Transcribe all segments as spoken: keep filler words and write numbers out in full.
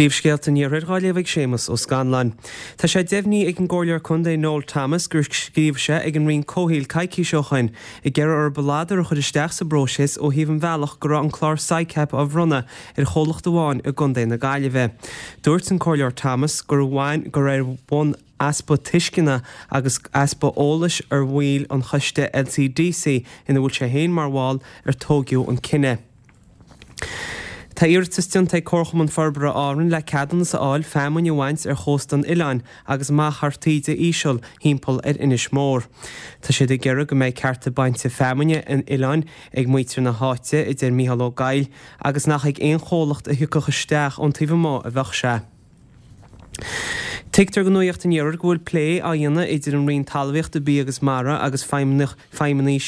Príomhscéalta an Iarthair á léamh ag Séamus Ó Scanláin. Tá sé deimhnithe ag an gComhairleoir Contae Noel Thomas gur scríobh sé ag an Roinn Comhshaoil coicís ó shin ag iarraidh orthu ladar a chur isteach sa bpróiseas ó thaobh an bhealach go raibh an clár SICAP á bhronnadh ar chomhlacht amháin i gContae na Gaillimhe. Dúirt an Comhairleoir Thomas gur bhain gur ar bhonn easpa tuisceana agus easpa eolais ar bhaill an choiste LCDC ina bhfuil sé féin mar bhall ar tógadh an cinneadh. Tá iarratas déanta ag Comharchumann Forbartha Árann le ceadúnas a fháil feamainn a bhaint ar chósta an oileáin agus amach thar taoide íseal thimpeall ar Inis Mór. Tá siad ag iarraidh go mbeidh cearta bainte feamainne an oileáin ag muintir na háite, a deir Mícheál Ó Gaill, agus nach ag aon chomhlacht a thiocfadh isteach ón taobh amuigh a bheadh sé. Tuigtear do Nuacht an Iarthair go bhfuil plé á dhéanamh idir an Roinn Talmhaíochta, Bia agus Mara agus feidhmeannaigh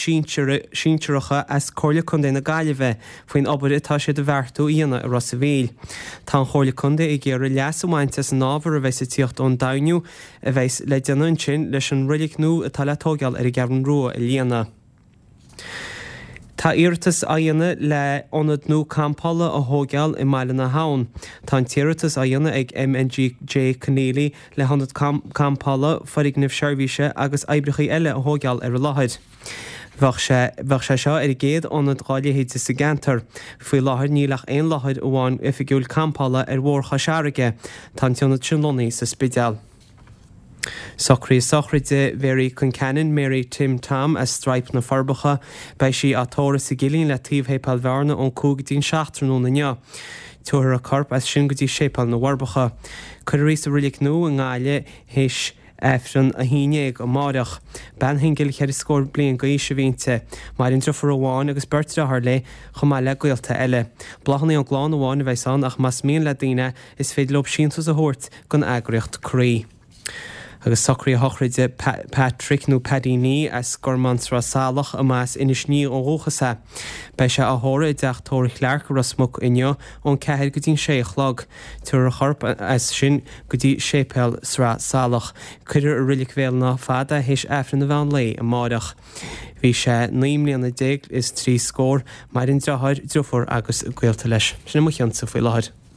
sinsearacha as Comhairle Contae na Gaillimhe faoin obair atá siad a bheartú a dhéanamh i Ros a' Mhíl. Tá an Chomhairle Contae ag iarraidh leas a bhaint as an ábhar a bheas ag tíocht ón doimhniú a bheas le déanamh ansin leis an roilig nua atá le tógáil ar an gCeathrú Rua a líonadh. Tá iarratas á dhéanamh le ionad nua campála a thógáil i mBaile na hAbhann. Tá an t-iarratas á dhéanamh ag MNGJ Conneely le hionad campála, foirgneamh seirbhíse agus oibreacha eile a thógáil ar an láthair. Bheadh sé bheadh sé seo ar an gcéad ionad dá leithéid sa gceantar. Faoi láthair níl ach aon láthair amháin oifigiúil campála ar Bhóthar Chois Fharraige. Tá an t-ionad sin lonnaithe sa Spidéal. Socruithe sochraide Mhary Concannon, Mary Tim Tom as Straidhp na Forbacha. Beidh sí á tórramh sa gCillín le taobh Shéipéal Bhearna ón cúig go dtí an seacht tráthnóna inniu. Tabharfar a corp as sin go dtí Séipéal na bhForbacha. Cuirfear í sa reilig nua i nGaillimh théis Aifreann a haon déag amáireach. Bean shingil cheithre scór bliain d'aois a bhí inti. Maireann deirfiúr amháin agus beirt deartháir léi chomh maith le gaolta eile. Bláthanna ón gclann amháin a bheas ann ach más mian le daoine is féidir leo síntiús a thabhairt don eagraíocht Croí. Agus socruithe sochraide Patrick nó Paddy Nee as Gormán Sraith Salach a mba as Inis Ní ó dhúchas é. Beidh sé á thórramh i dteach tórraimh Chlarke i Ros Muc inniu ón ceathair go dtí an sé a chlog. Tabharfar a chorp as sin go dtí séipéal Sraith Salach. Cuirfear i Reilig Bhéal an Átha Fada théis Aifreann an mheán lae amáireach. Bhí sé naoi mbliana déag is trí scór, maireann deartháir, deirfiúr agus gaolta leis. Sin é mo chionsa faoi láthair.